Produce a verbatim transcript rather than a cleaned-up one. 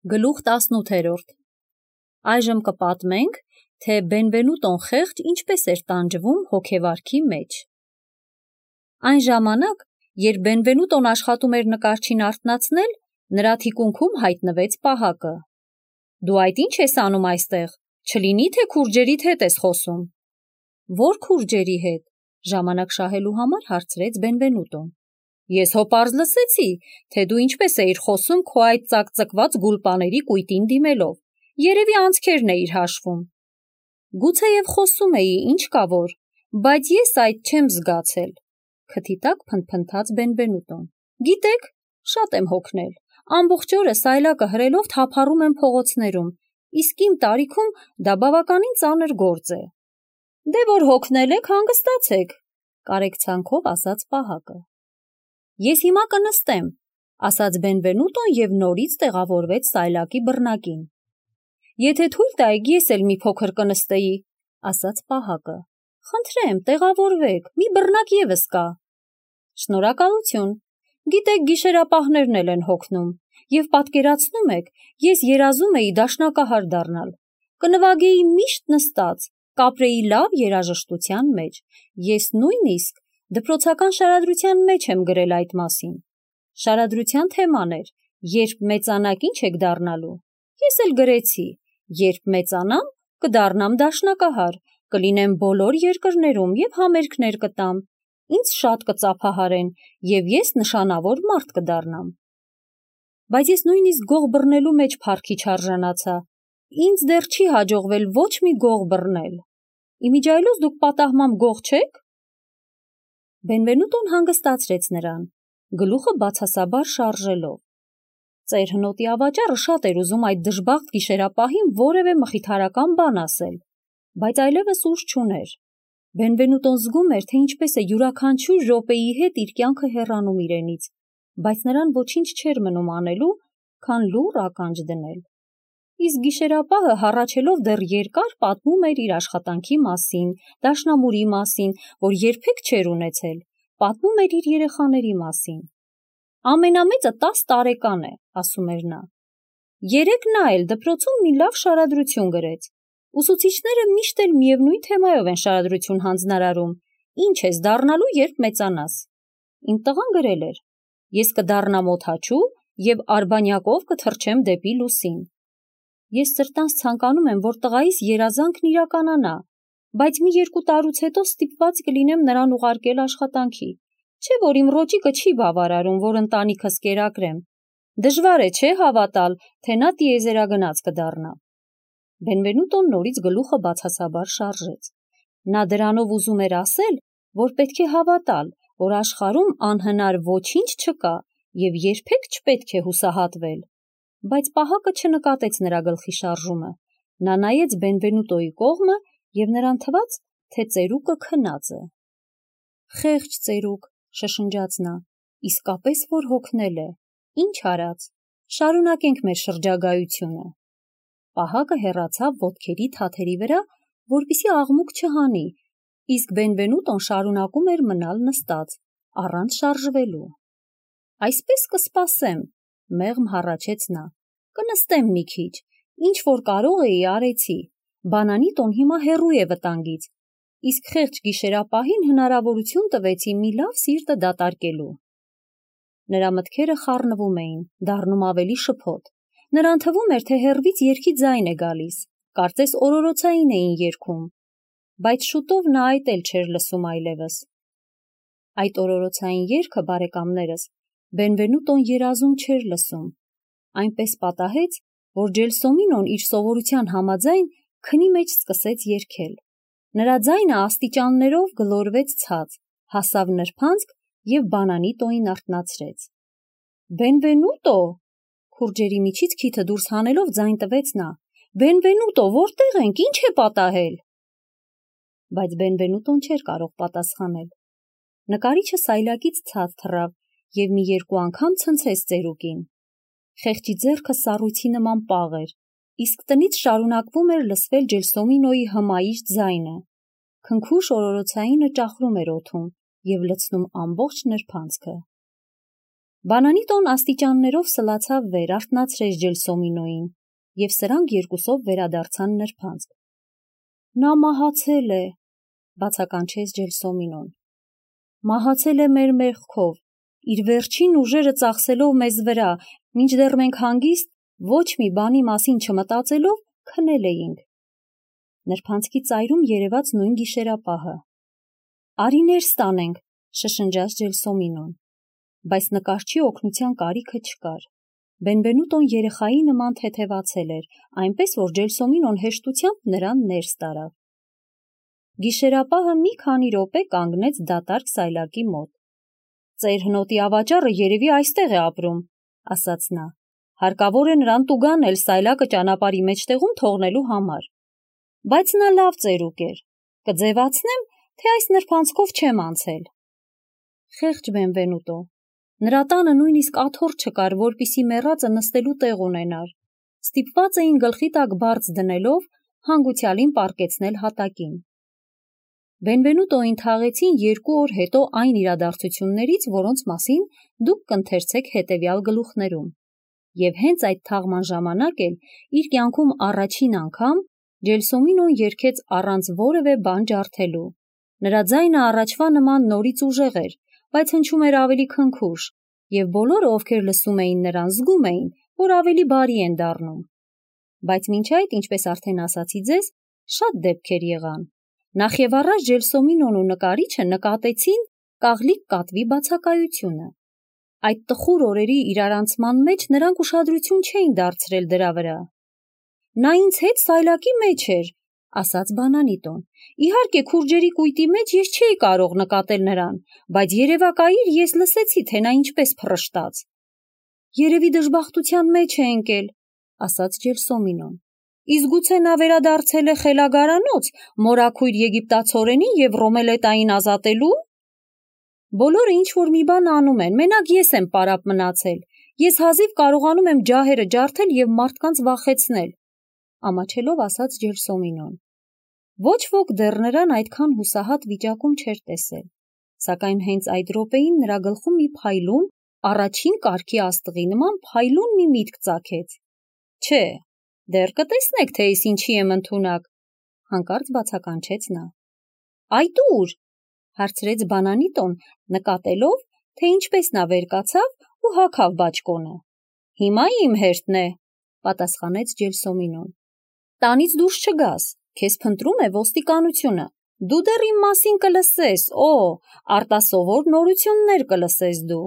Գլուխ տասնութերորդ Այժմ կպատմենք, թե Բենվենուտոն խեղճ ինչպես էր տանջվում հոգեվարքի մեջ։ Այն ժամանակ, երբ Բենվենուտոն աշխատում էր նկարչին արթնացնել, նրա թիկունքում հայտնվեց պահակը։ Դու այդ ինչ ես անում այստեղ, չլինի թե քուրջերիդ հետ ես խոսում։ Ո՞ր քուրջերի հետ, ժամանակ շահելու համար հարցրեց Բենվենուտոն։ Ես հոպարզ լսեցի, թե դու ինչպես էիր խոսում քո այդ ծակծկված գուլպաների կույտին դիմելով, երևի անցքերն էիր հաշվում։ Գուցեև խոսում էի, ինչ կա որ, բայց ես այդ չեմ զգացել, քթի տակ փնթփնթաց Բենվենուտոն։ Գիտեք, շատ եմ հոգնել, ամբողջ օրը սայլակը հրելով թափառում եմ փողոցներում, իսկ իմ տարիքում դա բավականին ծանր գործ է։ Դե որ հոգնել եք, հանգստացեք, կարեկցանքով ասաց պահակը։ Ես հիմա կնստեմ, ասաց Բենվենուտոն և նորից տեղավորվեց սայլակի բռնակին։ Եթե թույլ տայիք, ես էլ մի փոքր կնստեի, ասաց պահակը։ Խնդրեմ, տեղավորվեք, մի բռնակ ևս կա։ Շնորհակալություն, գիտեք, գիշերապահներն էլ են հոգնում, և պատկերացնում եք, ես երազում էի դաշնակահար դառնալ, կնվագեի միշտ նստած, կապրեի լավ երաժշտության մեջ, ես նույնիսկ դպրոցական շարադրության մեջ եմ գրել այդ մասին։ Շարադրության թեման էր, երբ մեծանաք ինչ եք դառնալու։ Ես էլ գրեցի, երբ մեծանամ, կդառնամ դաշնակահար, կլինեմ բոլոր երկրներում և համերգներ կտամ, ինձ շատ կծափահարեն և ես նշանավոր մարդ կդառնամ։ Բայց ես նույնիսկ գող բռնելու մեջ փառքի չարժանացա, ինձ դեռ չի հաջողվել ոչ մի գող բռնել։ Իմիջիայլոց դուք պատահմամբ գող չե՞ք։ Բենվենուտոն հանգստացրեց նրան, գլուխը բացասաբար շարժելով։ Ծեր հնոտի ավաճառը շատ էր ուզում այդ դժբախտ գիշերապահին որևէ մխիթարական բան ասել, բայց այլևս ուժ չուներ։ Բենվենուտոն զգում էր, թե ինչպես է յուրաքանչյուր րոպեի հետ իր կյանքը հեռանում իրենից, բայց նրան ոչինչ չէր մնում անելու, քան լուռ ականջ դնել։ Իսկ գիշերապահը հառաչելով դեռ երկար պատմում էր իր աշխատանքի մասին, դաշնամուրի մասին, որ երբեք չէր ունեցել, պատմում էր իր երեխաների մասին։ Ամենամեծը տաս տարեկան է, ասում էր նա։ Երեկ նա էլ դպրոցում մի լավ շարադրություն գրեց։ Ուսուցիչները միշտ էլ միևնույն թեմայով են շարադրություն հանձնարարում. Ինչ ես դառնալու, երբ մեծանաս։ Իմ տղան գրել էր. Ես կդառնամ օդաչու և արբանյակով կթռչեմ դեպի լուսին։ Ես սրտանց ցանկանում եմ, որ տղայիս երազանքն իրականանա, բայց մի երկու տարուց հետո ստիպված կլինեմ նրան ուղարկել աշխատանքի, չէ՞ որ իմ ռոճիկը չի բավարարում, որ ընտանիքս կերակրեմ։ Դժվար է, չէ՞ հավատալ, թե նա տիեզերագնաց կդառնա։ Բենվենուտոն նորից գլուխը բացասաբար շարժեց։ Նա դրանով ուզում էր ասել, որ պետք է հավատալ, որ աշխարհում անհնար ոչինչ չկա և երբեք չպետք է հուսահատվել։ Բայց պահակը չնկատեց նրա գլխի շարժումը, նա նայեց Բենվենուտոյի կողմը և նրան թվաց, թե ծերուկը քնած է։ Խեղճ ծերուկ, շշնջաց նա, իսկապես որ հոգնել է, ինչ արած, շարունակենք մեր շրջագայությունը։ Պահակը հեռացավ ոտքերի թաթերի վրա, որպեսզի աղմուկ չհանի, իսկ Բենվենուտոն շարունակում էր մնալ նստած, առանց շարժվելու։ Այսպես կսպասեմ, մեղմ հառաչեց նա, կնստեմ մի քիչ, ինչ որ կարող էի արեցի, բանանի տոն հիմա հեռու է վտանգից, իսկ խեղճ գիշերապահին հնարավորություն տվեցի մի լավ սիրտը դատարկելու։ Նրա մտքերը խառնվում էին, դառնում ավելի շփոթ, նրան թվում էր, թե հեռվից երգի ձայն է գալիս, կարծես օրորոցային էին երգում, բայց շուտով նա այդ էլ չէր լսում այլևս։ Այդ օրորոցային երգը, բարեկամներս, Բենվենուտոն երազում չէր լսում, այնպես պատահեց, որ Ջելսոմինոն իր սովորության համաձայն քնի մեջ սկսեց երգել։ Նրա ձայնը աստիճաններով գլորվեց ցած, հասավ նրբանցք և բանանի տոին արթնացրեց։ Բենվենուտո, քուրջերի միջից քիթը դուրս հանելով ձայն տվեց նա, Բենվենուտո, որտե՞ղ ենք, ինչ է պատահել։ Բայց Բենվենուտոն չէր կարող պատասխանել։ Նկարիչը սայլակից ցած թռավ և մի երկու անգամ ցնցեց ծերուկին։ Խեղճի ձեռքը սառույցի նման պաղ էր, իսկ տնից շարունակվում էր լսվել Ջելսոմինոյի հմայիչ ձայնը։ Քնքուշ օրորոցայինը ճախրում էր օդում և լցնում ամբողջ նրբանցքը։ Բանանիտոն աստիճաններով սլացավ վեր, արթնացրեց Ջելսոմինոին, և սրանք երկուսով վերադարձան նրբանցք։ Նա մահացել է, բացականչեց Ջելսոմինոն։ Մահացել է մեր մեղքով, իր վերջին ուժերը ծախսելով մեզ վրա, մինչդեռ մենք հանգիստ ոչ մի բանի մասին չմտածելով քնել էինք։ Նրբանցքի ծայրում երևաց նույն գիշերապահը։ Արի ներս տանենք, շշնջաց Ջելսոմինոն, բայց նկարչի օգնության կարիքը չկար։ Բենվենուտոն երեխայի նման թեթևացել էր, այնպես որ Ջելսոմինոն հեշտությամբ նրան ներս տարավ։ Գիշերապահը մի քանի րոպե կանգնեց դատարկ սայլակի մոտ։ Ծեր հնոտի ավաճառը երևի այստեղ է ապրում, ասաց նա։ Հարկավոր է նրան տուգան էլ սայլակը ճանապարհի մեջտեղում թողնելու համար։ Բայց նա լավ ծերուկ էր։ Կձևացնեմ, թե այս նրբանցքով չեմ անցել։ Խեղճ Բենվենուտո։ Նրա տանը նույնիսկ աթոռ չկար, որպիսի մեռածը նստելու տեղ ունենար։ Ստիպված էին գլխի տակ բարձ դնելով հանգուցյալին պառկեցնել հատակին։ Բենվենուտոին թաղեցին երկու օր հետո այն իրադարձություններից, որոնց մասին դուք կընթերցեք հետևյալ գլուխներում։ Եվ հենց այդ թաղման ժամանակ էլ իր կյանքում առաջին անգամ Ջելսոմինոն երգեց առանց որևէ բան ջարդելու։ Նրա ձայնը առաջվա նման նորից ուժեղ էր, բայց հնչում էր ավելի քնքուշ, և բոլորը, ովքեր լսում էին նրան, զգում էին, որ ավելի բարի են դառնում։ Բայց մինչ այդ, ինչպես արդեն ասացի ձեզ, շատ դեպքեր եղան։ Նախևառաջ Ջելսոմինոն ու նկարիչը նկատեցին կաղլիկ կատվի բացակայությունը։ Այդ տխուր օրերի իրարանցման մեջ նրանք ուշադրություն չէին դարձրել դրա վրա։ Նա ինձ հետ սայլակի մեջ էր, ասաց Բանանիտոն։ Իհարկե, քուրջերի կույտի մեջ ես չէի կարող նկատել նրան, բայց երևակայիր ես լսեցի, թե նա ինչպես փռշտաց։ Երևի դժբախտության մեջ է ընկել, ասաց Ջելսոմինոն։ Իսկ գուցե նա վերադարձել է խելագարանոց, մորաքույր եգիպտացորենին և Ռոմելետային ազատելու։ Բոլորը ինչ-որ մի բան անում են, մենակ ես եմ պարապ մնացել։ Ես հազիվ կարողանում եմ ջահերը ջարդել և մարդկանց վախեցնել, ամաչելով ասաց Ջելսոմինոն։ Ոչ ոք դեռ նրան այդքան հուսահատ վիճակում չէր տեսել, սակայն հենց այդ րոպեին նրա գլխում մի փայլուն, առաջին կարգի աստղի նման փայլուն մի միտք ծագեց։ Չէ, դեռ կտեսնեք, թե ես ինչի եմ ընդունակ, հանկարծ բացականչեց նա։ Այդ ու՞ր, հարցրեց Բանանիտոն, նկատելով, թե ինչպես նա վեր կացավ ու հագավ բաճկոնը։ Հիմա իմ հերթն է, պատասխանեց Ջելսոմինոն։ Տանից դուրս չգաս, քեզ փնտրում է ոստիկանությունը։ Դու դեռ իմ մասին կլսես, օ, արտասովոր նորություններ կլսես դու։